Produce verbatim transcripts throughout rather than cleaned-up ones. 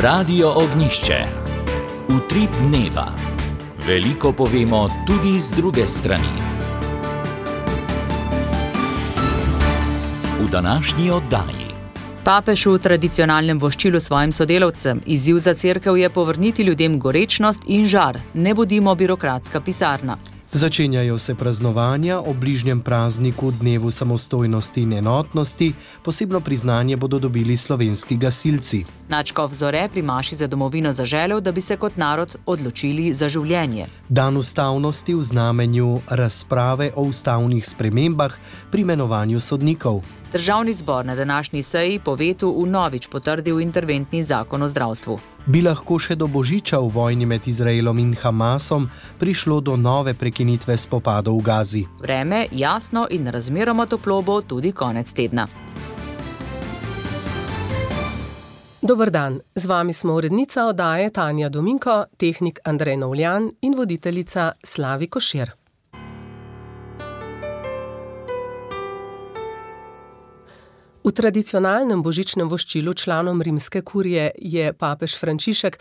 Radio Ognišče. Utrip dneva. Veliko povemo tudi z druge strani. V današnji oddaji. Papež v tradicionalnem voščilu svojim sodelavcem. Izziv za cerkev je povrniti ljudem gorečnost in žar. Ne bodimo birokratska pisarna. Začenjajo se praznovanja o bližnjem prazniku Dnevu samostojnosti in enotnosti. Posebno priznanje bodo dobili slovenski gasilci. Nadškof Zore pri maši za domovino zaželel, da bi se kot narod odločili za življenje. Dan ustavnosti v znamenju razprave o ustavnih spremembah pri imenovanju sodnikov. Državni zbor na današnji seji po vetu vnovič potrdil interventni zakon o zdravstvu. Bi lahko še do božiča v vojni med Izraelom in Hamasom prišlo do nove prekinitve spopadov v Gazi. Vreme jasno in razmeroma toplo bo tudi konec tedna. Dober dan, z vami smo urednica oddaje Tanja Dominko, tehnik Andrej Novljan in voditeljica Slavi Košir. V tradicionalnem božičnem voščilu članom rimske kurije je papež Frančišek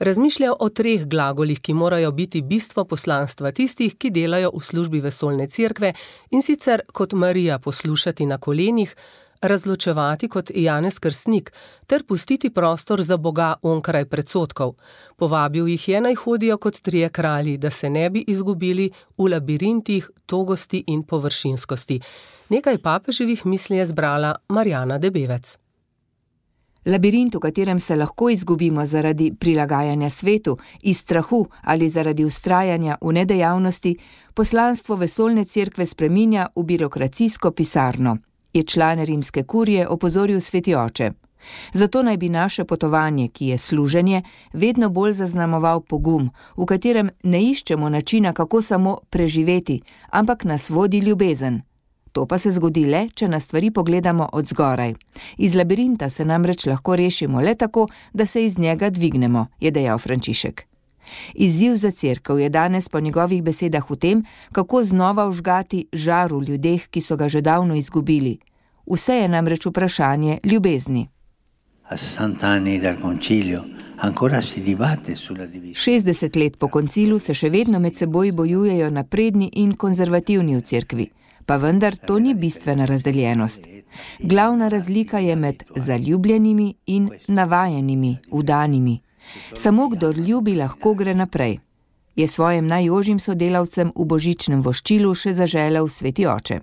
razmišljal o treh glagolih, ki morajo biti bistvo poslanstva tistih, ki delajo v službi vesoljne cerkve, in sicer kot Marija poslušati na kolenih, razločevati kot Janez Krstnik ter pustiti prostor za Boga onkraj predsodkov. Povabil jih je, naj hodijo kot trije kralji, da se ne bi izgubili v labirintih togosti in površinskosti. Nekaj papeževih misli je zbrala Marjana Debevec. Labirint, v katerem se lahko izgubimo zaradi prilagajanja svetu, iz strahu ali zaradi vztrajanja v nedejavnosti, poslanstvo vesoljne cerkve spreminja v birokracijsko pisarno, je član rimske kurije opozoril sveti oče. Zato naj bi naše potovanje, ki je služenje, vedno bolj zaznamoval pogum, v katerem ne iščemo načina, kako samo preživeti, ampak nas vodi ljubezen. To pa se zgodi le, če na stvari pogledamo od zgoraj. Iz labirinta se namreč lahko rešimo le tako, da se iz njega dvignemo, je dejal Frančišek. Izziv za cerkev je danes po njegovih besedah v tem, kako znova vžgati žar v ljudeh, ki so ga že davno izgubili. Vse je namreč vprašanje ljubezni. šestdeset let po koncilu se še vedno med seboj bojujejo napredni in konzervativni v cerkvi. Pa vendar to ni bistvena razdeljenost. Glavna razlika je med zaljubljenimi in navajenimi, vdanimi. Samo kdor ljubi, lahko gre naprej. Je svojim najožjim sodelavcem v božičnem voščilu še zaželel sveti oče.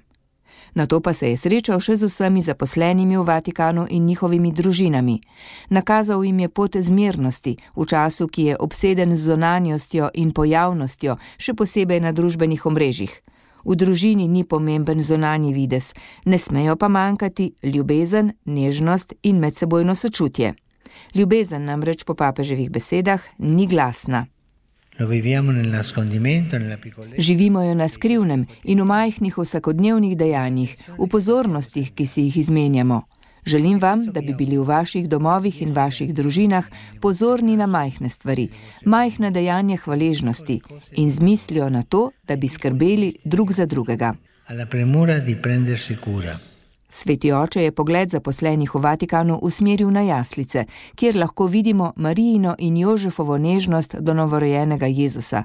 Nato pa se je srečal še z vsemi zaposlenimi v Vatikanu in njihovimi družinami. Nakazal jim je pot zmernosti v času, ki je obseden z zunanjostjo in pojavnostjo, še posebej na družbenih omrežjih. V družini ni pomemben zunanji videz, ne smejo pa manjkati ljubezen, nežnost in medsebojno sočutje. Ljubezen namreč po papeževih besedah ni glasna. Živimo jo na skrivnem in v majhnih vsakodnevnih dejanjih, v pozornostih, ki si jih izmenjamo. Želim vam, da bi bili v vaših domovih in vaših družinah pozorni na majhne stvari, majhne dejanja hvaležnosti in z mislijo na to, da bi skrbeli drug za drugega. Sveti oče je pogled zaposlenih v Vatikanu usmeril na jaslice, kjer lahko vidimo Marijino in Jožefovo nežnost do novorojenega Jezusa.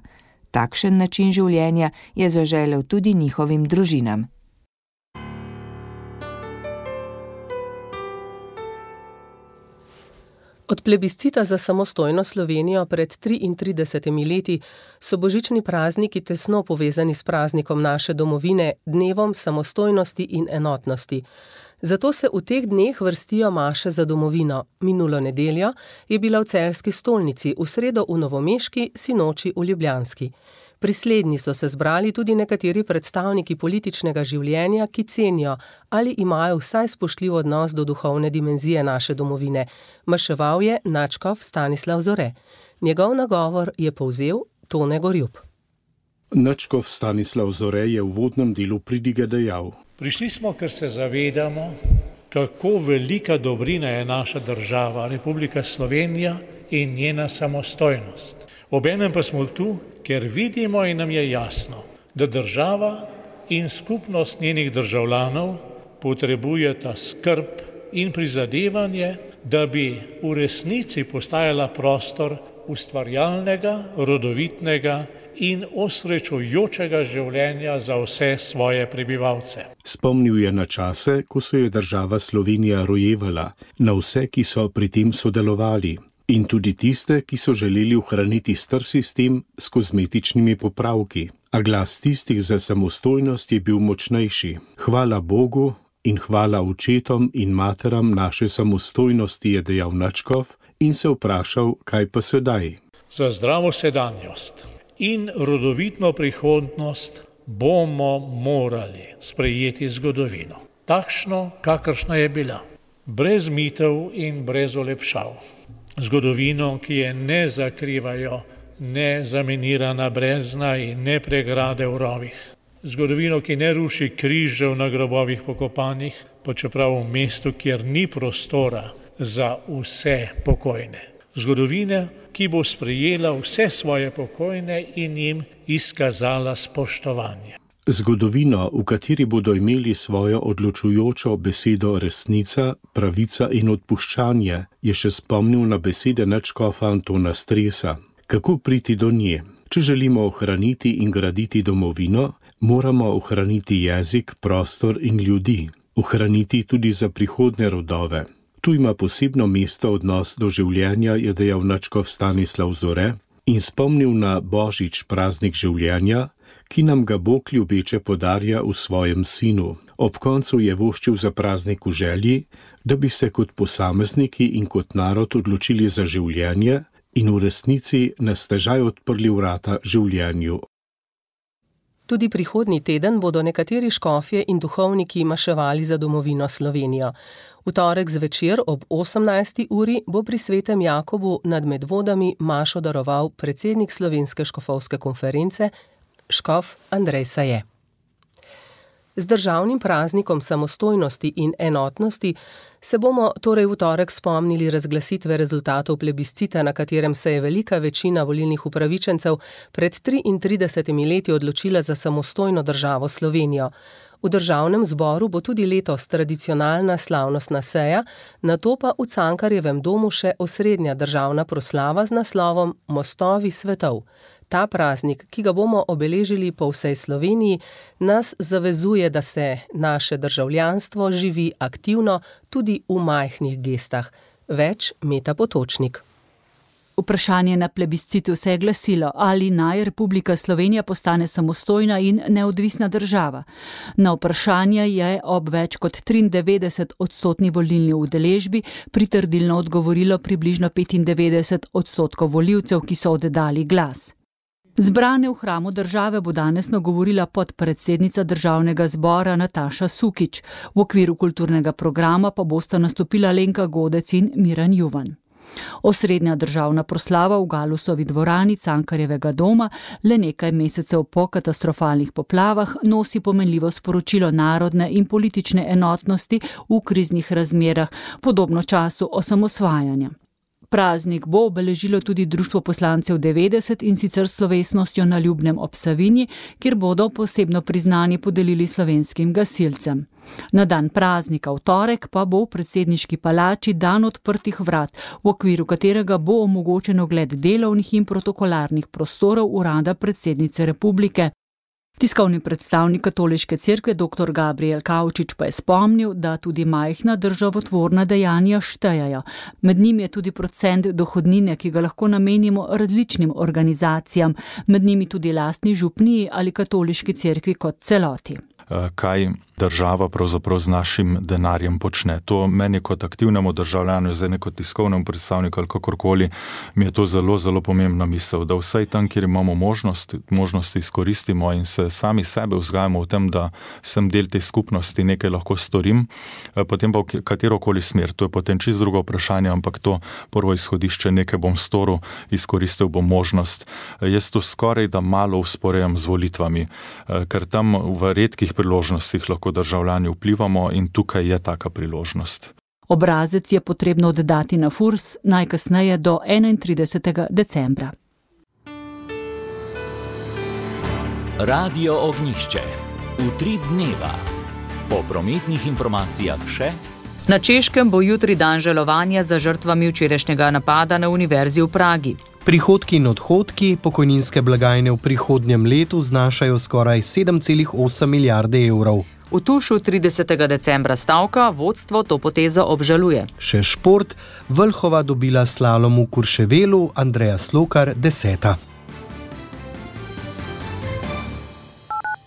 Takšen način življenja je zaželel tudi njihovim družinam. Od plebiscita za samostojno Slovenijo pred triintridesetimi leti so božični prazniki tesno povezani s praznikom naše domovine, Dnevom samostojnosti in enotnosti. Zato se v teh dneh vrstijo maše za domovino. Minulo nedeljo je bila v Celjski stolnici, v sredo v Novomeški, sinoči v Ljubljanski. Pri slednji so se zbrali tudi nekateri predstavniki političnega življenja, ki cenijo ali imajo vsaj spoštljiv odnos do duhovne dimenzije naše domovine. Maševal je nadškof Stanislav Zore. Njegov nagovor je povzel Tone Gorjup. Nadškof Stanislav Zore je v uvodnem delu pridige dejal: Prišli smo, ker se zavedamo, kako velika dobrina je naša država, Republika Slovenija in njena samostojnost. Obenem pa smo tu, ker vidimo in nam je jasno, da država in skupnost njenih državljanov potrebujeta skrb in prizadevanje, da bi v resnici postajala prostor ustvarjalnega, rodovitnega in osrečujočega življenja za vse svoje prebivalce. Spomnil je na čase, ko se je država Slovenija rojevala, na vse, ki so pri tem sodelovali, in tudi tiste, ki so želeli ohraniti star sistem s kozmetičnimi popravki. A glas tistih za samostojnost je bil močnejši. Hvala Bogu in hvala očetom in materam naše samostojnosti, je dejal Nadškof in se vprašal, kaj pa sedaj. Za zdravo sedanjost in rodovitno prihodnost bomo morali sprejeti zgodovino, takšno, kakršna je bila, brez mitev in brez olepšav. Zgodovino, ki je ne zakrivajo ne zaminirana brezna in ne pregrade v rovih. Zgodovino, ki ne ruši križev na grobovih pokopanih, pa čeprav v mestu, kjer ni prostora za vse pokojne. Zgodovina, ki bo sprejela vse svoje pokojne in jim izkazala spoštovanje. Zgodovino, v kateri bodo imeli svojo odločujočo besedo resnica, pravica in odpuščanje, je še spomnil na besede nadškofa Antona Stresa. Kako priti do nje? Če želimo ohraniti in graditi domovino, moramo ohraniti jezik, prostor in ljudi. Ohraniti tudi za prihodne rodove. Tu ima posebno mesto odnos do življenja, je dejal nadškof Stanislav Zore in spomnil na Božič, praznik življenja, ki nam ga Bog ljubeče podarja v svojem sinu. Ob koncu je voščil za praznik v želji, da bi se kot posamezniki in kot narod odločili za življenje in v resnici nas težaj odprli vrata življenju. Tudi prihodnji teden bodo nekateri škofje in duhovniki maševali za domovino Slovenijo. V torek zvečer ob osemnajsti uri bo pri Svetem Jakobu nad Medvodami mašo daroval predsednik Slovenske škofovske konference, škof Andrej Saje. Z državnim praznikom samostojnosti in enotnosti se bomo torej v torek spomnili razglasitve rezultatov plebiscita, na katerem se je velika večina volilnih upravičencev pred triintridesetimi leti odločila za samostojno državo Slovenijo. V državnem zboru bo tudi letos tradicionalna slavnostna seja, nato pa v Cankarjevem domu še osrednja državna proslava z naslovom Mostovi svetov. Ta praznik, ki ga bomo obeležili po vsej Sloveniji, nas zavezuje, da se naše državljanstvo živi aktivno tudi v majhnih gestah. Več Meta Potočnik. Vprašanje na plebiscitu se je glasilo, ali naj Republika Slovenija postane samostojna in neodvisna država. Na vprašanje je ob več kot triindevetdeset odstotni volilni udeležbi pritrdilno odgovorilo približno petindevetdeset odstotkov volivcev, ki so oddali glas. Zbrane v hramu države bo danes nagovorila podpredsednica državnega zbora Nataša Sukič. V okviru kulturnega programa pa bosta nastopila Lenka Godec in Miran Juvan. Osrednja državna proslava v Galusovi dvorani Cankarjevega doma le nekaj mesecev po katastrofalnih poplavah nosi pomenljivo sporočilo narodne in politične enotnosti v kriznih razmerah, podobno času osamosvajanja. Praznik bo obeležilo tudi Društvo poslancev devetdeset in sicer s slovesnostjo na Ljubnem ob Savinji, kjer bodo posebno priznanje podelili slovenskim gasilcem. Na dan praznika v torek pa bo v predsedniški palači dan odprtih vrat, v okviru katerega bo omogočen ogled delovnih in protokolarnih prostorov urada predsednice republike. Tiskovni predstavnik Katoliške cerkve dr. Gabriel Kavčič pa je spomnil, da tudi majhna državotvorna dejanja štejejo. Med njimi je tudi procent dohodnine, ki ga lahko namenimo različnim organizacijam, med njimi tudi lastni župniji ali Katoliški cerkvi kot celoti. Kaj država pravzaprav z našim denarjem počne. To meni kot aktivnemu državljanu, zdaj ne kot tiskovnemu predstavniku ali kakorkoli, mi je to zelo, zelo pomembna misel, da vsaj tam, kjer imamo možnost, možnosti izkoristimo in se sami sebe vzgajamo v tem, da sem del te skupnosti, nekaj lahko storim, potem pa v katerokoli smer. To je potem čisto drugo vprašanje, ampak to prvo izhodišče, nekaj bom storil, izkoristil bom možnost. Jaz to skoraj da malo usporejam z volitvami, ker tam v redkih priložnostih lahko državljani vplivamo in tukaj je taka priložnost. Obrazec je potrebno oddati na Furs najkasneje do enaintridesetega decembra. Radio Ognjišče. Utrip dneva. Po prometnih informacijah še Na Češkem bo jutri dan žalovanja za žrtvami včerajšnjega napada na univerzi v Pragi. Prihodki in odhodki pokojninske blagajne v prihodnjem letu znašajo skoraj sedem celih osem milijarde evrov. V Tušu tridesetega decembra stavka vodstvo to potezo obžaluje. Še šport, Vlhova dobila slalom v Kurševelu, Andreja Slokar deseta.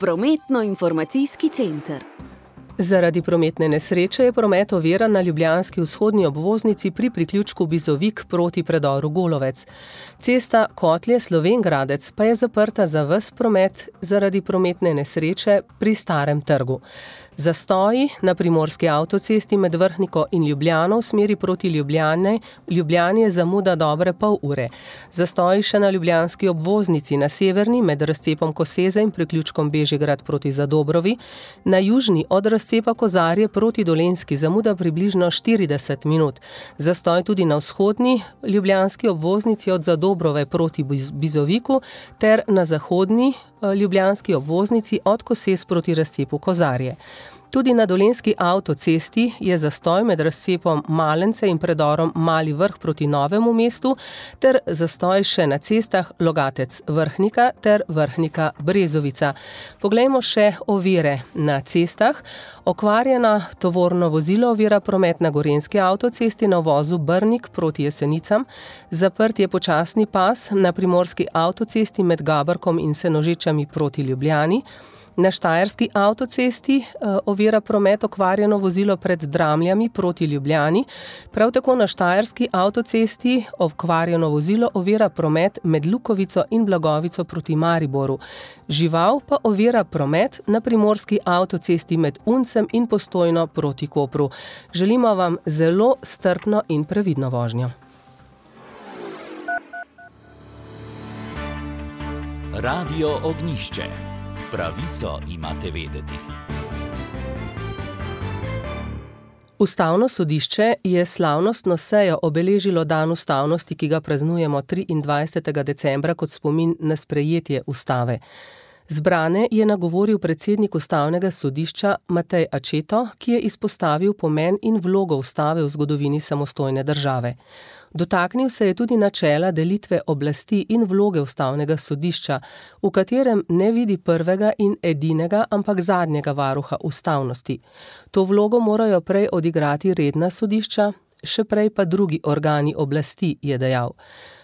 Prometno-informacijski center. Zaradi prometne nesreče je promet oviran na ljubljanski vzhodni obvoznici pri priključku Bizovik proti predoru Golovec. Cesta Kotlje-Slovenj Gradec pa je zaprta za ves promet zaradi prometne nesreče pri Starem trgu. Zastoji na primorski avtocesti med Vrhniko in Ljubljano v smeri proti Ljubljane, Ljubljani je zamuda dobre pol ure. Zastoji še na ljubljanski obvoznici na severni med razcepom Koseze in priključkom Bežigrad proti Zadobrovi, na južni od razcepa Kozarje proti Dolenjski zamuda približno štirideset minut. Zastoj tudi na vzhodni ljubljanski obvoznici od Zadobrove proti Bizoviku ter na zahodni ljubljanski obvoznici od Kosez proti razcepu Kozarje. Tudi na dolenjski avtocesti je zastoj med razcepom Malence in predorom Mali Vrh proti Novemu mestu ter zastoj še na cestah Logatec Vrhnika ter Vrhnika Brezovica. Poglejmo še ovire na cestah. Okvarjena tovorno vozilo ovira promet na gorenjski avtocesti na uvozu Brnik proti Jesenicam. Zaprt je počasni pas na primorski avtocesti med Gabrkom in Senožečami proti Ljubljani. Na štajerski avtocesti ovira promet okvarjeno vozilo pred Dramljami proti Ljubljani. Prav tako na štajerski avtocesti okvarjeno vozilo ovira promet med Lukovico in Blagovico proti Mariboru. Žival pa ovira promet na primorski avtocesti med Uncem in Postojno proti Kopru. Želimo vam zelo strpno in previdno vožnjo. Radio Ognjišče. Pravico imate vedeti. Ustavno sodišče je slavnostno sejo obeležilo dan ustavnosti, ki ga praznujemo triindvajsetega decembra kot spomin na sprejetje ustave. Zbrane je nagovoril predsednik ustavnega sodišča Matej Ačeto, ki je izpostavil pomen in vlogo ustave v zgodovini samostojne države. Dotaknil se je tudi načela delitve oblasti in vloge ustavnega sodišča, v katerem ne vidi prvega in edinega, ampak zadnjega varuha ustavnosti. To vlogo morajo prej odigrati redna sodišča, še prej pa drugi organi oblasti, je dejal.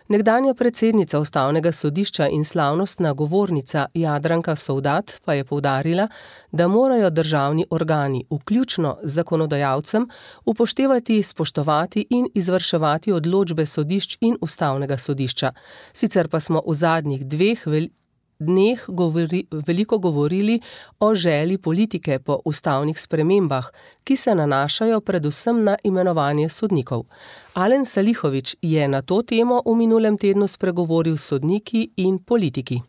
Nekdanja predsednica ustavnega sodišča in slavnostna govornica Jadranka Sovdat pa je poudarila, da morajo državni organi, vključno z zakonodajalcem, upoštevati, spoštovati in izvrševati odločbe sodišč in ustavnega sodišča. Sicer pa smo v zadnjih dveh vel- dneh govori, veliko govorili o želji politike po ustavnih spremembah, ki se nanašajo predvsem na imenovanje sodnikov. Alen Salihović je na to temo v minulem tednu spregovoril s sodniki in politiki.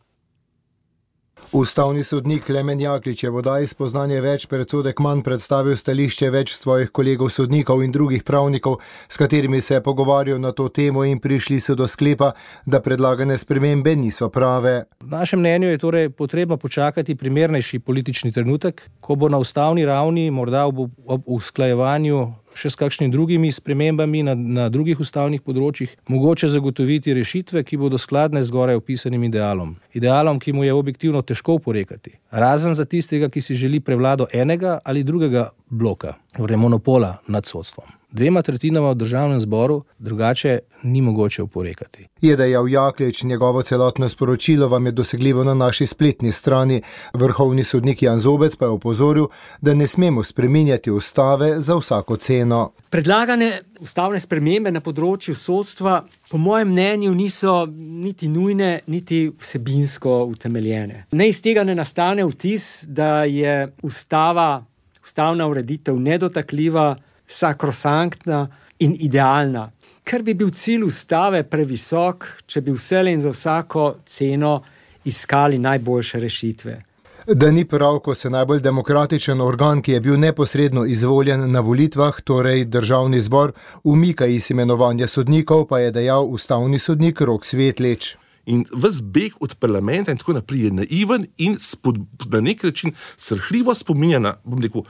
Ustavni sodnik Klemen Jaklič je v oddaji Spoznanje več predsodek manj predstavil stališče več svojih kolegov sodnikov in drugih pravnikov, s katerimi se je pogovarjal na to temo in prišli so do sklepa, da predlagane spremembe niso prave. V našem mnenju je torej potrebno počakati primernejši politični trenutek, ko bo na ustavni ravni morda ob, ob usklajevanju še s kakšnimi drugimi spremembami na, na drugih ustavnih področjih, mogoče zagotoviti rešitve, ki bodo skladne z zgoraj opisanim idealom. Idealom, ki mu je objektivno težko oporekati. Razen za tistega, ki si želi prevlado enega ali drugega bloka, torej monopola nad sodstvom. Dvema tretjinama v državnem zboru drugače ni mogoče oporekati. Je dejal Jaklič, njegovo celotno sporočilo vam je dosegljivo na naši spletni strani. Vrhovni sodnik Jan Zobec pa je opozoril, da ne smemo spreminjati ustave za vsako ceno. Predlagane ustavne spremembe na področju sodstva po mojem mnenju niso niti nujne, niti vsebinsko utemeljene. Ne iz tega ne nastane vtis, da je ustava, ustavna ureditev nedotakljiva, sakrosanktna in idealna, ker bi bil cilj ustave previsok, če bi vselej in za vsako ceno iskali najboljše rešitve. Da ni prav, ko se najbolj demokratičen organ, ki je bil neposredno izvoljen na volitvah, torej državni zbor, umika iz imenovanja sodnikov, pa je dejal ustavni sodnik Rok Svetlič. In ves beg od parlamenta in tako naprej je naiven in spod, na nek način srhljivo spominja na, bom rekel,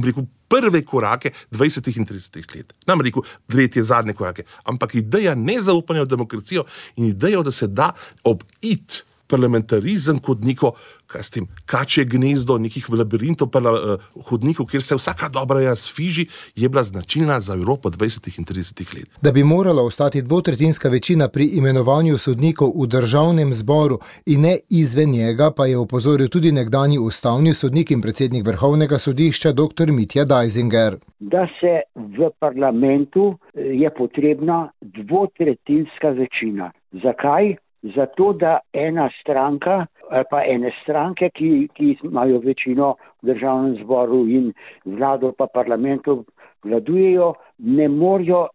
rekel, prve korake dvajsetih in tridesetih let. Nam rekel, tretje, zadnje korake. Ampak ideja nezaupanja v demokracijo in ideja, da se da obiti parlamentarizem kot neko, kaj s tem, kačje gnezdo nekih labirintov, parla, hodnikov, kjer se vsaka dobra jaz fiži, je bila značilna za Evropo dvajsetih in tridesetih let. Da bi morala ostati dvotretjinska večina pri imenovanju sodnikov v državnem zboru in ne izven njega, pa je opozoril tudi nekdanji ustavni sodnik in predsednik Vrhovnega sodišča doktor Mitja Deisinger. Da se v parlamentu je potrebna dvotretjinska večina. Zakaj? Zato, da ena stranka ali pa ene stranke, ki, ki imajo večino v državnem zboru in vlado pa parlamentu vladujejo, ne morajo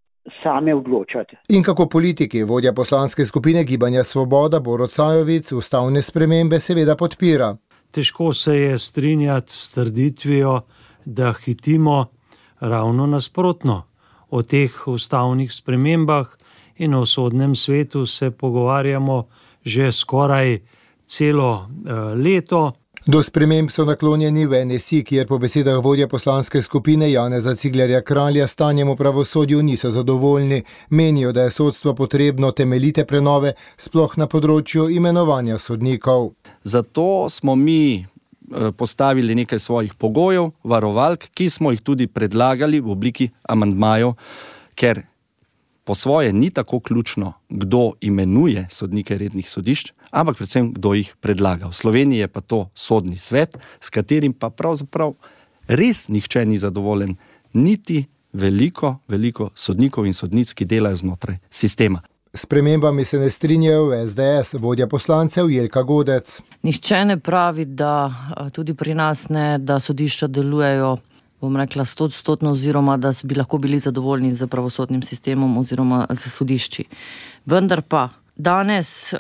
same odločati. In kako politiki, vodja poslanske skupine Gibanja Svoboda Borut Sajovic, ustavne spremembe seveda podpira. Težko se je strinjati s trditvijo, da hitimo ravno nasprotno. O teh ustavnih spremembah in o sodnem svetu se pogovarjamo že skoraj celo eh, leto. Do sprememb so naklonjeni v N S I, kjer po besedah vodja poslanske skupine Janeza Ciglerja Kralja stanjem v pravosodju niso zadovoljni. Menijo, da je sodstvo potrebno temeljite prenove, sploh na področju imenovanja sodnikov. Zato smo mi postavili nekaj svojih pogojev, varovalk, ki smo jih tudi predlagali v obliki amandmajev, ker po svoje ni tako ključno, kdo imenuje sodnike rednih sodišč, ampak predvsem, kdo jih predlaga. V Sloveniji je pa to sodni svet, s katerim pa pravzaprav res nihče ni zadovoljen, niti veliko, veliko sodnikov in sodnic, ki delajo znotraj sistema. S spremembami se ne strinjajo v S D S, vodja poslancev Jelka Godec. Nihče ne pravi, da tudi pri nas ne, da sodišča delujejo, bom rekla, stotstotno oziroma da bi lahko bili zadovoljni z pravosodnim sistemom oziroma z sodišči. Vendar pa danes uh,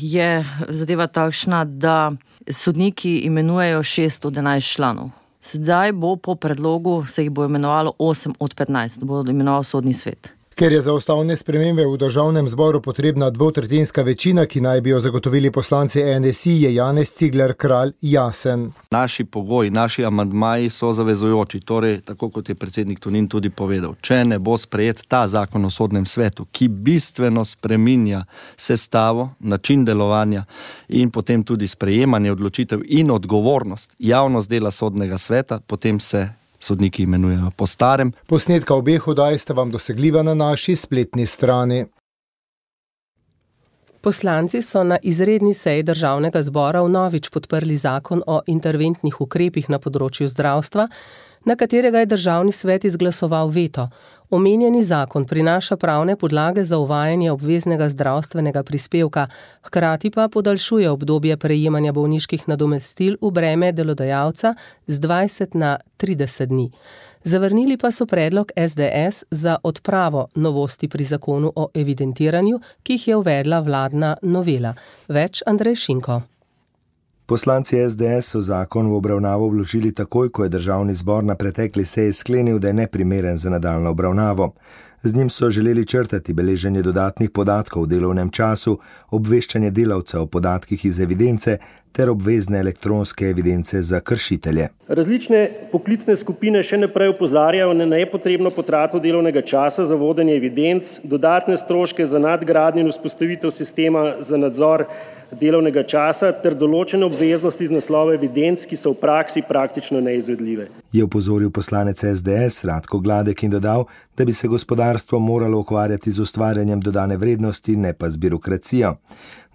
je zadeva takšna, da sodniki imenujejo šest od enajst članov. Sedaj bo po predlogu se jih bo imenovalo osem od petnajst, bo imenoval sodni svet. Ker je za ustavne spremembe v državnem zboru potrebna dvotretjinska večina, ki naj bi jo zagotovili poslanci N S I, je Janez Cigler Kralj jasen. Naši pogoji, naši amandmaji so zavezujoči, torej, tako kot je predsednik Tonin tudi povedal, če ne bo sprejet ta zakon o sodnem svetu, ki bistveno spreminja sestavo, način delovanja in potem tudi sprejemanje odločitev in odgovornost, javnost dela sodnega sveta, potem se sodniki imenujejo po starem. Posnetka obeh oddaj sta vam dosegljiva na naši spletni strani. Poslanci so na izredni seji državnega zbora vnovič podprli zakon o interventnih ukrepih na področju zdravstva, na katerega je državni svet izglasoval veto. Omenjeni zakon prinaša pravne podlage za uvajanje obveznega zdravstvenega prispevka, hkrati pa podaljšuje obdobje prejemanja bolniških nadomestil v breme delodajalca z dvajset na trideset dni. Zavrnili pa so predlog S D S za odpravo novosti pri zakonu o evidentiranju, ki jih je uvedla vladna novela. Več Andrej Šinko. Poslanci S D S so zakon v obravnavo vložili takoj, ko je državni zbor na pretekli seji sklenil, da je neprimeren za nadaljnjo obravnavo. Z njim so želeli črtati beleženje dodatnih podatkov v delovnem času, obveščanje delavca o podatkih iz evidence ter obvezne elektronske evidence za kršitelje. Različne poklicne skupine še naprej opozarjajo na nepotrebno potrato delovnega časa za vodenje evidenc, dodatne stroške za nadgradnjo in vzpostavitev sistema za nadzor delovnega časa ter določene obveznosti iz naslova evidenc, ki so v praksi praktično neizvedljive. Je opozoril poslanec S D S Radko Gladek in dodal, da bi se gospodarstvo moralo ukvarjati z ustvarjanjem dodane vrednosti, ne pa z birokracijo.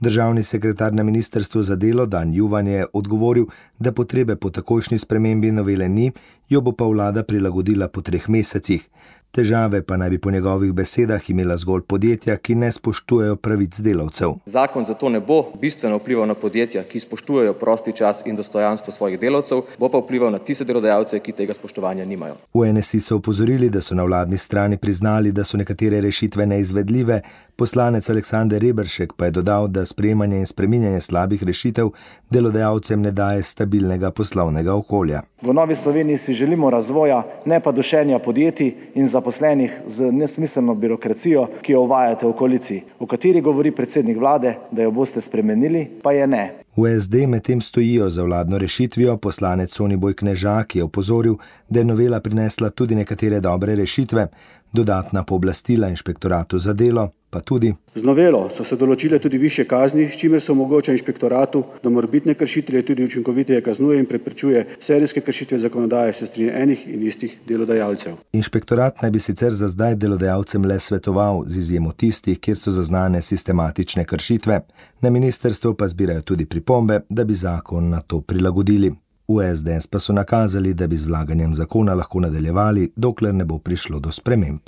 Državni sekretar na ministrstvu za delo Dan Juvan je odgovoril, da potrebe po takojšnji spremembi novele ni, jo bo pa vlada prilagodila po treh mesecih. Težave pa naj bi po njegovih besedah imela zgolj podjetja, ki ne spoštujejo pravic delavcev. Zakon zato ne bo bistveno vplival na podjetja, ki spoštujejo prosti čas in dostojanstvo svojih delavcev, bo pa vplival na tiste delodajalce, ki tega spoštovanja nimajo. V N S I so opozorili, da so na vladni strani priznali, da so nekatere rešitve neizvedljive. Poslanec Aleksander Reberšek pa je dodal, da sprejemanje in spreminjanje slabih rešitev delodajalcem ne daje stabilnega poslovnega okolja. V Novi Sloveniji si želimo razvoja, ne pa dušenja podjetij in zaposlenih z nesmiselno birokracijo, ki jo uvajate v koaliciji, o kateri govori predsednik vlade, da jo boste spremenili, pa je ne. V es de medtem stojijo za vladno rešitvijo, poslanec Soniboj Knežak je opozoril, da je novela prinesla tudi nekatere dobre rešitve, dodatna pooblastila inšpektoratu za delo, pa tudi. Z novelo so se določile tudi višje kazni, s čimer se omogoča inšpektoratu, da morebitne kršitelje tudi učinkoviteje kaznuje in preprečuje serijske kršitve zakonodaje s strani enih in istih delodajalcev. Inšpektorat naj bi sicer za zdaj delodajalcem le svetoval, z izjemo tistih, kjer so zaznane sistematične kršitve. Na ministrstvu pa zbirajo tudi pripombe, da bi zakon na to prilagodili. V es de es pa so nakazali, da bi z vlaganjem zakona lahko nadaljevali, dokler ne bo prišlo do sprememb.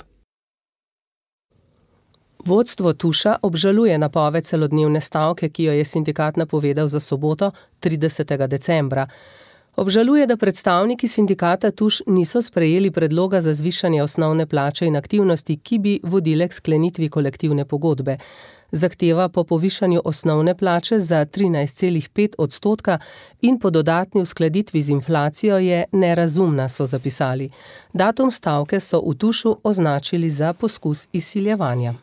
Vodstvo Tuša obžaluje napoved celodnevne stavke, ki jo je sindikat napovedal za soboto, tridesetega decembra. Obžaluje, da predstavniki sindikata Tuš niso sprejeli predloga za zvišanje osnovne plače in aktivnosti, ki bi vodile k sklenitvi kolektivne pogodbe. Zahteva po povišanju osnovne plače za trinajst celih pet odstotka in po dodatni uskladitvi z inflacijo je nerazumna, so zapisali. Datum stavke so v Tušu označili za poskus izsiljevanja.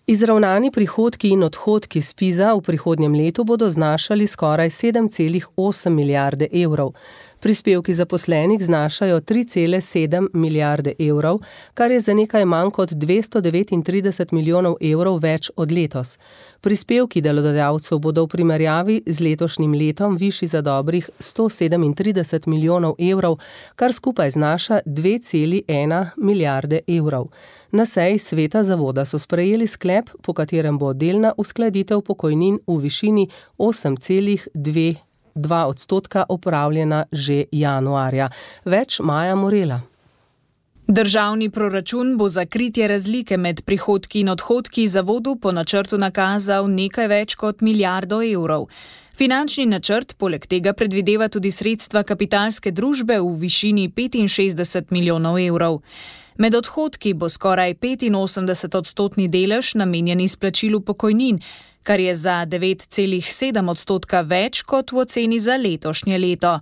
Izravnani prihodki in odhodki SPIZ-a v prihodnjem letu bodo znašali skoraj sedem celih osem milijarde evrov. Prispevki zaposlenih znašajo tri cele sedem milijarde evrov, kar je za nekaj manj kot dvesto devetintrideset milijonov evrov več od letos. Prispevki delodajalcev bodo v primerjavi z letošnjim letom višji za dobrih sto sedemintrideset milijonov evrov, kar skupaj znaša dve celi ena milijarde evrov. Na seji sveta zavoda so sprejeli sklep, po katerem bo delna uskladitev pokojnin v višini osem celih dva odstotka opravljena že januarja. Več Maja Morela. Državni proračun bo za kritje razlike med prihodki in odhodki zavodu po načrtu nakazal nekaj več kot milijardo evrov. Finančni načrt poleg tega predvideva tudi sredstva kapitalske družbe v višini petinšestdeset milijonov evrov. Med odhodki bo skoraj petinosemdeset odstotni delež namenjen izplačilu pokojnin, kar je za devet celih sedem odstotka več kot v oceni za letošnje leto.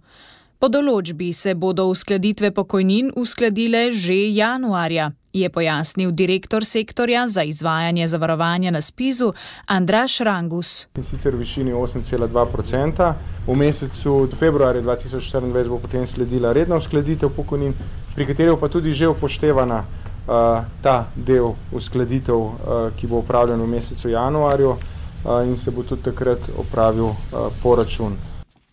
Po določbi se bodo uskladitve pokojnin uskladile že januarja, je pojasnil direktor sektorja za izvajanje zavarovanja na SPIZ-u Andraž Rangus. In sicer v višini osem celih dva odstotka. V mesecu februarja dva tisoč štiriindvajset bo potem sledila redna uskladitev pokojnin, pri kateri pa tudi že upoštevana uh, ta del uskladitev, uh, ki bo upravljen v mesecu januarju uh, in se bo tudi takrat opravil uh, poračun.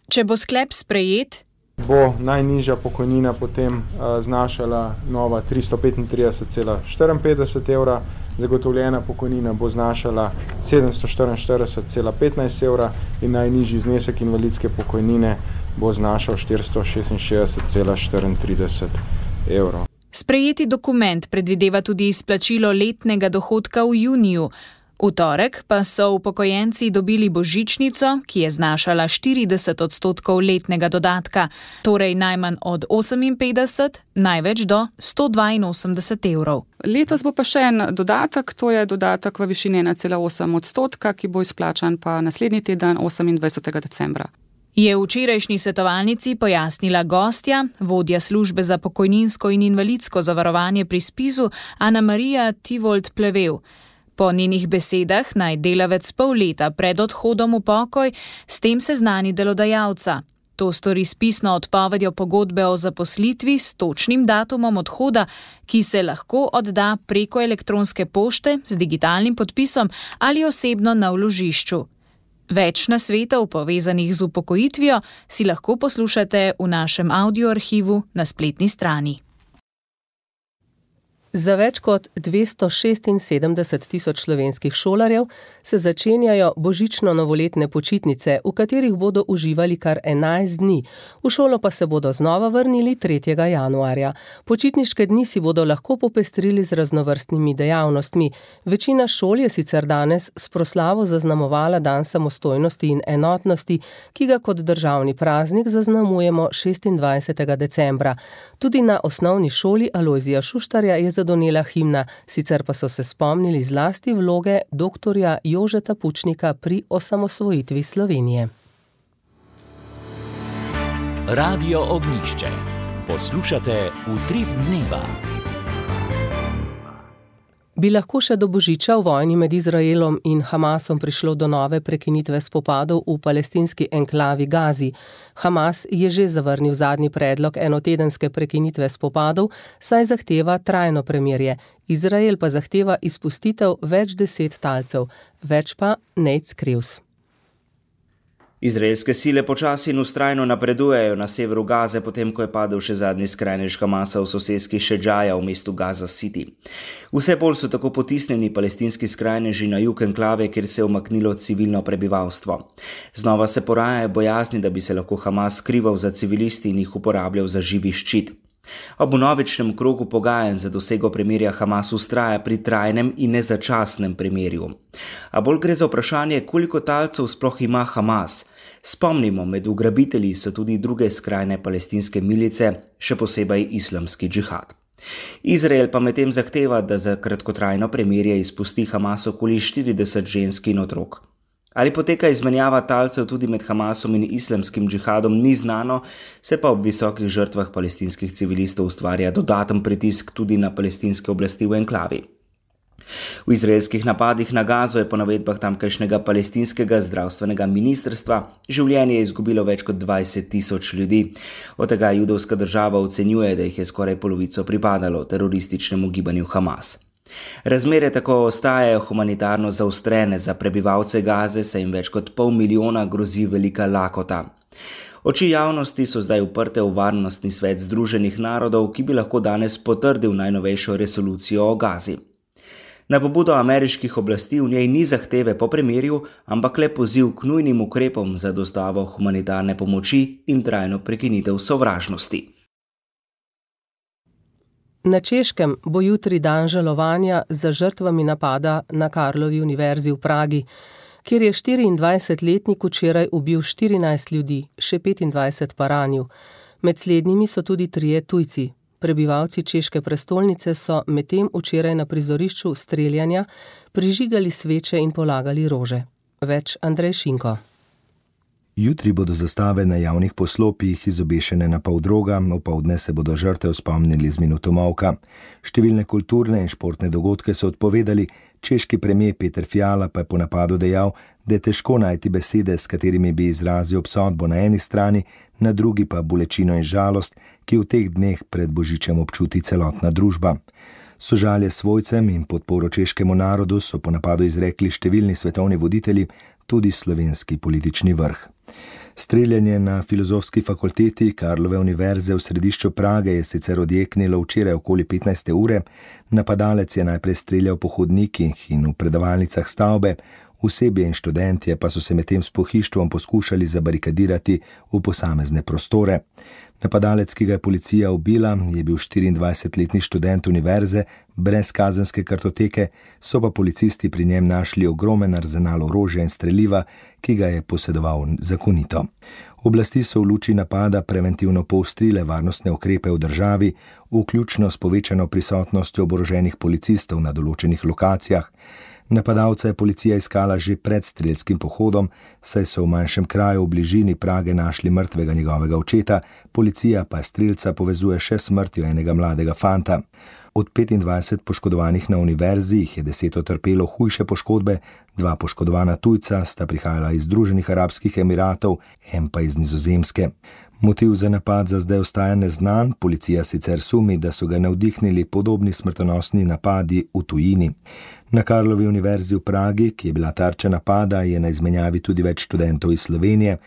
Če bo sklep sprejet, bo najnižja pokojnina potem uh, znašala nova tristo petintrideset celih štiriinpetdeset evra, zagotovljena pokojnina bo znašala sedemsto štiriinštirideset celih petnajst evra in najnižji znesek invalidske pokojnine bo znašal štiristo šestinšestdeset celih štiriintrideset evrov. Sprejeti dokument predvideva tudi izplačilo letnega dohodka v juniju. V torek pa so upokojenci dobili božičnico, ki je znašala štirideset odstotkov letnega dodatka, torej najmanj od oseminpetdeset, največ do sto dvainosemdeset evrov. Letos bo pa še en dodatek, to je dodatek v višini ena cela osem odstotka, ki bo izplačan pa naslednji teden osemindvajsetega decembra. Je v včerajšnji svetovalnici pojasnila gostja, vodja službe za pokojninsko in invalidsko zavarovanje pri SPIZ-u Ana Marija Tivold Plevel. Po njenih besedah naj delavec pol leta pred odhodom v pokoj s tem seznani delodajalca. To stori s pisno odpovedjo pogodbe o zaposlitvi s točnim datumom odhoda, ki se lahko odda preko elektronske pošte z digitalnim podpisom ali osebno na vložišču. Več nasvetov povezanih z upokojitvijo si lahko poslušate v našem audioarhivu na spletni strani. Za več kot dvesto šestinsedemdeset tisoč slovenskih šolarjev se začenjajo božično-novoletne počitnice, v katerih bodo uživali kar enajst dni. V šolo pa se bodo znova vrnili tretjega januarja. Počitniške dni si bodo lahko popestrili z raznovrstnimi dejavnostmi. Večina šol je sicer danes s proslavo zaznamovala dan samostojnosti in enotnosti, ki ga kot državni praznik zaznamujemo šestindvajsetega decembra. Tudi na osnovni šoli Alojzija Šuštarja je zadonela himna, sicer pa so se spomnili zlasti vloge doktorja Jožeta Pučnika pri osamosvojitvi Slovenije. Radio Ognjišče. Poslušate Utrip dneva. Bi lahko še do božiča v vojni med Izraelom in Hamasom prišlo do nove prekinitve spopadov v palestinski enklavi Gazi? Hamas je že zavrnil zadnji predlog enotedenske prekinitve spopadov, saj zahteva trajno premirje. Izrael pa zahteva izpustitev več deset talcev, več pa Nate Crews. Izraelske sile počasi in vztrajno napredujejo na severu Gaze, potem ko je padel še zadnji skrajnež Hamasa v soseski Šedžaja v mestu Gaza City. Vse bolj so tako potisnjeni palestinski skrajneži na jug enklave, kjer se je umaknilo civilno prebivalstvo. Znova se porajajo bojazni, da bi se lahko Hamas skrival za civilisti in jih uporabljal za živi ščit. Ob vnovičnem krogu pogajanj za dosego premirja Hamas vztraja pri trajnem in nezačasnem premirju. A bolj gre za vprašanje, koliko talcev sploh ima Hamas. Spomnimo, med ugrabitelji so tudi druge skrajne palestinske milice, še posebej islamski džihad. Izrael pa medtem zahteva, da za kratkotrajno premirje izpusti Hamas okoli štirideset žensk in otrok. Ali poteka izmenjava talcev tudi med Hamasom in islamskim džihadom, ni znano, se pa ob visokih žrtvah palestinskih civilistov ustvarja dodaten pritisk tudi na palestinske oblasti v enklavi. V izraelskih napadih na Gazo je po navedbah tamkajšnjega palestinskega zdravstvenega ministrstva življenje izgubilo več kot dvajset tisoč ljudi. Od tega judovska država ocenjuje, da jih je skoraj polovico pripadalo terorističnemu gibanju Hamas. Razmere tako ostajajo humanitarno zaostrene za prebivalce Gaze, saj jim več kot pol milijona grozi velika lakota. Oči javnosti so zdaj uprte v Varnostni svet Združenih narodov, ki bi lahko danes potrdil najnovejšo resolucijo o Gazi. Na pobudo ameriških oblasti v njej ni zahteve po premirju, ampak le poziv k nujnim ukrepom za dostavo humanitarne pomoči in trajno prekinitev sovražnosti. Na Češkem bo jutri dan žalovanja za žrtvami napada na Karlovi univerzi v Pragi, kjer je štiriindvajsetletnik včeraj ubil štirinajst ljudi, še petindvajset pa ranil. Med slednjimi so tudi trije tujci. Prebivalci češke prestolnice so medtem včeraj na prizorišču streljanja prižigali sveče in polagali rože. Več Andrej Šinko. Jutri bodo zastave na javnih poslopjih izobešene na pol droga, opoldne se bodo žrtev spomnili z minuto molka. Številne kulturne in športne dogodke so odpovedali, češki premier Peter Fiala pa je po napadu dejal, da je težko najti besede, s katerimi bi izrazil obsodbo na eni strani, na drugi pa bolečino in žalost, ki v teh dneh pred božičem občuti celotna družba. Sožalje svojcem in podporo češkemu narodu so po napadu izrekli številni svetovni voditelji, tudi slovenski politični vrh. Streljanje na Filozofski fakulteti Karlove univerze v središču Prage je sicer odjeknilo včeraj okoli petnajste ure. Napadalec je najprej streljal po hodnikih in v predavalnicah stavbe, osebje in študentje pa so se medtem s pohištvom poskušali zabarikadirati v posamezne prostore. Napadalec, ki ga je policija ubila, je bil štiriindvajsetletni študent univerze brez kazenske kartoteke, so pa policisti pri njem našli ogromen arzenal orožja in streliva, ki ga je posedoval zakonito. Oblasti so v luči napada preventivno poostrile varnostne ukrepe v državi, vključno s povečano prisotnostjo oboroženih policistov na določenih lokacijah. Napadalca je policija iskala že pred strelskim pohodom, saj so v manjšem kraju v bližini Prage našli mrtvega njegovega očeta, policija pa strelca povezuje še s smrtjo enega mladega fanta. Od petindvajset poškodovanih na univerzi jih je deset utrpelo hujše poškodbe, dva poškodovana tujca sta prihajala iz Združenih arabskih emiratov, en pa iz Nizozemske. Motiv za napad za zdaj ostaja neznan, policija sicer sumi, da so ga navdihnili podobni smrtonosni napadi v tujini. Na Karlovi univerzi v Pragi, ki je bila tarča napada, je na izmenjavi tudi več študentov iz Slovenije.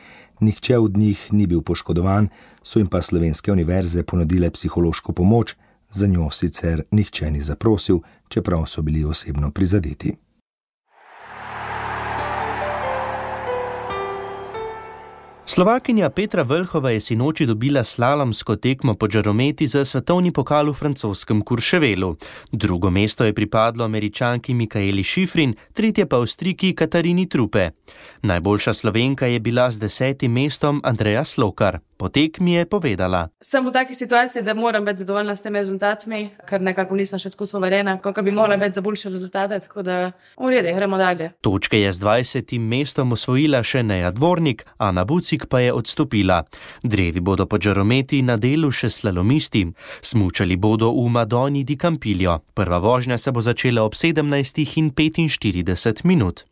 Nihče od njih ni bil poškodovan, so jim pa slovenske univerze ponudile psihološko pomoč, za njo sicer nihče ni zaprosil, čeprav so bili osebno prizadeti. Slovakinja Petra Vlhova je sinoči dobila slalomsko tekmo po žarometi za svetovni pokal v francoskem Courchevelu. Drugo mesto je pripadlo Američanki Mikaeli Šifrin, tretje pa Avstrijki Katarini Trupe. Najboljša Slovenka je bila z desetim mestom Andreja Slokar. Po po tekmi je povedala. Sem v taki situaciji, da moram biti zadovoljna s temi rezultatmi, ker nekako nisem še tako suverena, kot bi morala biti za boljše rezultate, tako da v redu, gremo dalje. Točke je z dvajsetim mestom osvojila še Neja Dvornik, Ana Bucik pa je odstopila. Drevi bodo pod žarometi na delu še slalomisti. Smučali bodo v Madoni di Campiglio. Prva vožnja se bo začela ob sedemnajstih in petinštirideset minut.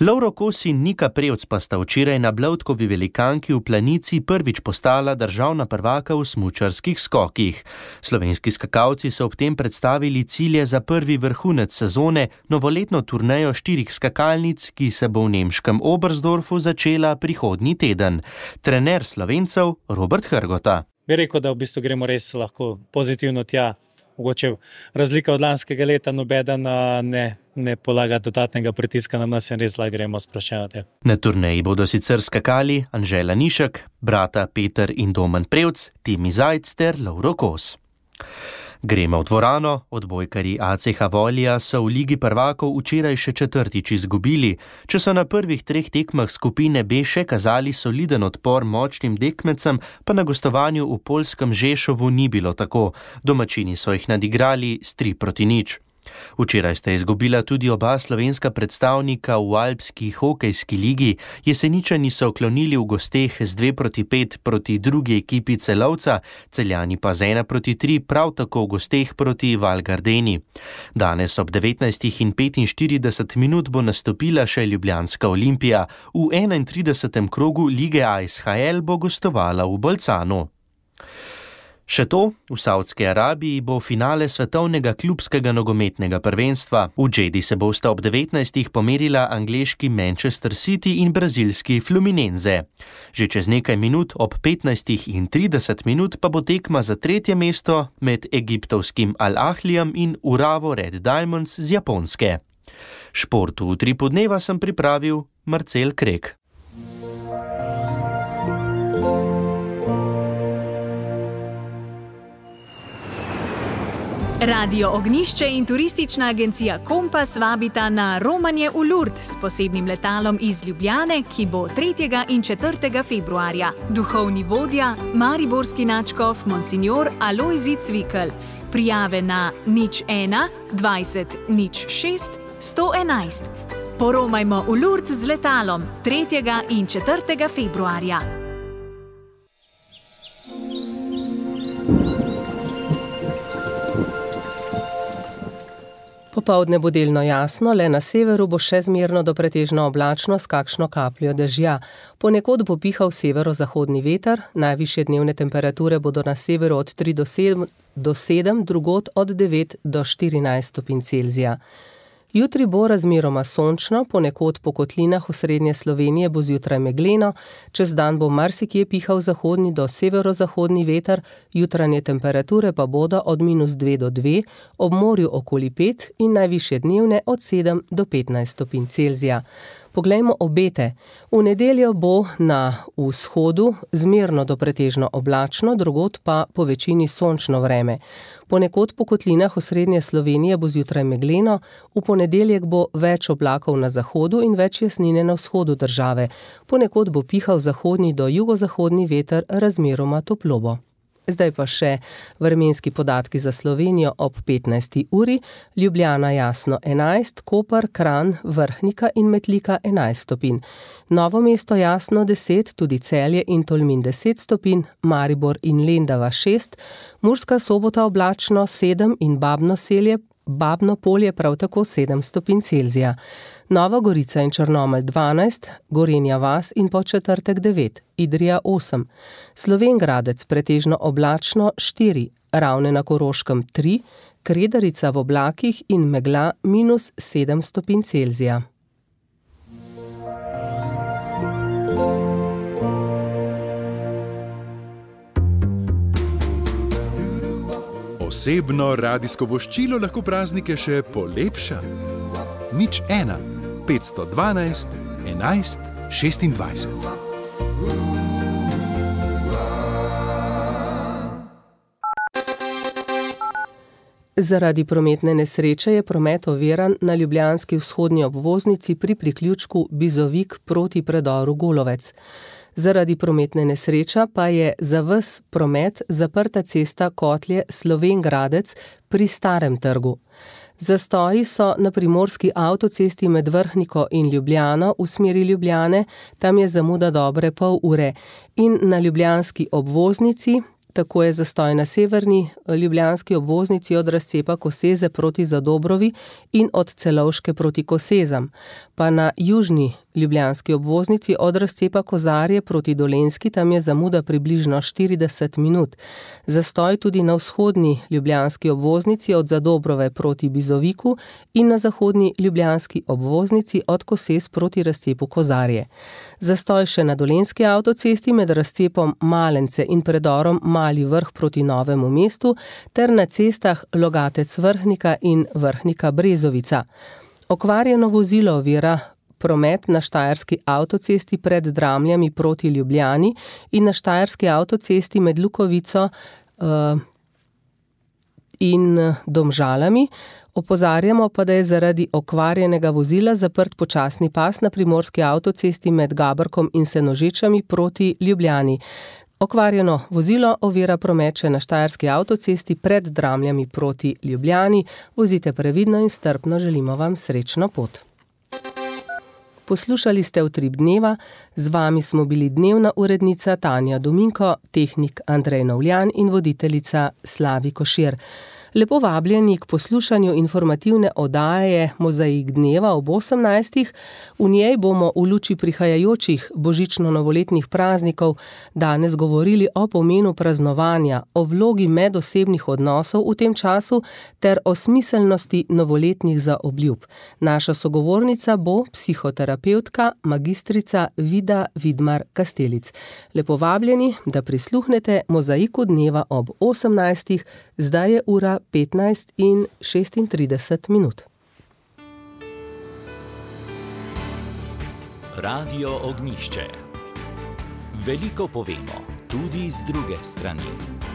Lovro Kos in Nika Prevc pa sta včeraj na Blavtkovi velikanki v Planici prvič postala državna prvaka v smučarskih skokih. Slovenski skakalci so ob tem predstavili cilje za prvi vrhunec sezone, novoletno turnejo štirih skakalnic, ki se bo v nemškem Oberstdorfu začela prihodnji teden. Trener Slovencev Robert Hrgota. Bi rekel, da v bistvu gremo res lahko pozitivno tja. Mogoče razlika od lanskega leta, nobeden ne, ne polaga dodatnega pritiska na nas in res lahko gremo sproščevati. Na turneji bodo sicer skakali Anžela Nišek, brata Peter in Domen Prevc, Timi Zajc ter Lovro Kos. Gremo v dvorano, odbojkarji A C H Volija so v Ligi prvakov včeraj še četrtič izgubili. Če so na prvih treh tekmah skupine B še kazali soliden odpor močnim tekmecem, pa na gostovanju v poljskem Žešovu ni bilo tako. Domačini so jih nadigrali s tri proti nič. Včeraj sta izgubila tudi oba slovenska predstavnika v Alpski hokejski ligi. Jeseničani so klonili v gosteh z dve proti pet proti drugi ekipi Celovca, Celjani pa z ena proti tri prav tako v gosteh proti Val Gardeni. Danes ob devetnajstih in petinštirideset minut bo nastopila še Ljubljanska Olimpija. V enaintridesetem krogu lige A S H L bo gostovala v Bolcanu. Še to, v Saudski Arabiji bo finale svetovnega klubskega nogometnega prvenstva. V Džedi se bosta ob devetnajstih pomerila angleški Manchester City in brazilski Fluminense. Že čez nekaj minut ob petnajstih in trideset minut pa bo tekma za tretje mesto med egiptovskim Al Ahlijem in Uravo Red Diamonds z Japonske. Športu v tri podneva sem pripravil Marcel Krek. Radio Ognišče in turistična agencija Kompas vabita na romanje v Lourdes s posebnim letalom iz Ljubljane, ki bo tretjega in četrtega februarja. Duhovni vodja, mariborski nadškof Monsignor Alojzij Cvikl. Prijave na nič ena dvajset nič šest sto enajst. Poromajmo v Lourdes z letalom tretjega in četrtega februarja. Popoldne bo delno jasno, le na severu bo še zmerno do pretežno oblačno s kakšno kapljo dežja. Ponekod bo pihal severozahodni veter, najvišje dnevne temperature bodo na severu od tri do sedem, drugod od devet do štirinajst stopinj Celzija. Jutri bo razmeroma sončno, ponekod po kotlinah v srednje Slovenije bo zjutraj megleno, čez dan bo marsikje pihal zahodni do severozahodni veter, jutranje temperature pa bodo od minus dve do dve, ob morju okoli pet in najvišje dnevne od sedem do petnajst stopinj Celzija. Poglejmo obete. V nedeljo bo na vzhodu zmerno do pretežno oblačno, drugod pa po večini sončno vreme. Ponekod po kotlinah v srednje Slovenije bo zjutraj megleno, v ponedeljek bo več oblakov na zahodu in več jasnine na vzhodu države. Ponekod bo pihal zahodni do jugozahodni veter, razmeroma toplo bo. Zdaj pa še vremenski podatki za Slovenijo ob petnajsti uri, Ljubljana jasno enajst, Koper, Kranj, Vrhnika in Metlika enajst stopinj. Novo mesto jasno deset, tudi Celje in Tolmin deset stopinj, Maribor in Lendava šest, Murska Sobota oblačno sedem in Babno selje, Babno polje prav tako sedem stopinj Celzija. Nova Gorica in Črnomelj dvanajst, Gorenja vas in Podčetrtek devet, Idrija osem, Slovenj Gradec pretežno oblačno štiri, Ravne na Koroškem tri, Kredarica v oblakih in megla minus sedem stopinj Celzija. Osebno radijsko voščilo lahko praznike še polepša. Nič ena, petsto dvanajst, enajst, šestindvajset. Zaradi prometne nesreče je promet oviran na ljubljanski vzhodni obvoznici pri priključku Bizovik proti predoru Golovec. Zaradi prometne nesreče pa je za ves promet zaprta cesta Kotlje Slovenj-Gradec pri Starem trgu. Zastoji so na primorski avtocesti med Vrhniko in Ljubljano v smeri Ljubljane, tam je zamuda dobre pol ure, in na ljubljanski obvoznici, tako je zastoj na severni ljubljanski obvoznici od razcepa Koseze proti Zadobrovi in od Celovške proti Kosezam, pa na južni ljubljanski obvoznici od razcepa Kozarje proti Dolenjski, tam je zamuda približno štirideset minut. Zastoj tudi na vzhodni ljubljanski obvoznici od Zadobrove proti Bizoviku in na zahodni ljubljanski obvoznici od Kosez proti razcepu Kozarje. Zastoj še na Dolenjski avtocesti med razcepom Malence in predorom Mali Vrh proti Novemu mestu ter na cestah Logatec Vrhnika in Vrhnika Brezovica. Okvarjeno vozilo ovira promet na Štajerski avtocesti pred Dramljami proti Ljubljani in na Štajerski avtocesti med Lukovico uh, in Domžalami. Opozarjamo pa, da je zaradi okvarjenega vozila zaprt počasni pas na primorski avtocesti med Gabrkom in Senožečami proti Ljubljani. Okvarjeno vozilo ovira promet še na Štajerski avtocesti pred Dramljami proti Ljubljani. Vozite previdno in strpno, želimo vam srečno pot. Poslušali ste Utrip dneva, z vami smo bili dnevna urednica Tanja Dominko, tehnik Andrej Novljan in voditeljica Slavi Košir. Lepo vabljeni k poslušanju informativne oddaje Mozaik dneva ob osemnajstih. V njej bomo v luči prihajajočih božično-novoletnih praznikov danes govorili o pomenu praznovanja, o vlogi medosebnih odnosov v tem času ter o smiselnosti novoletnih zaobljub. Naša sogovornica bo psihoterapevtka magistrica Vida Vidmar Kastelic. Lepo vabljeni, da prisluhnete Mozaiku dneva ob osemnajstih. Zdaj je ura petnajst in šestintrideset minut. Radio Ognjišče. Veliko povemo, tudi z druge strani.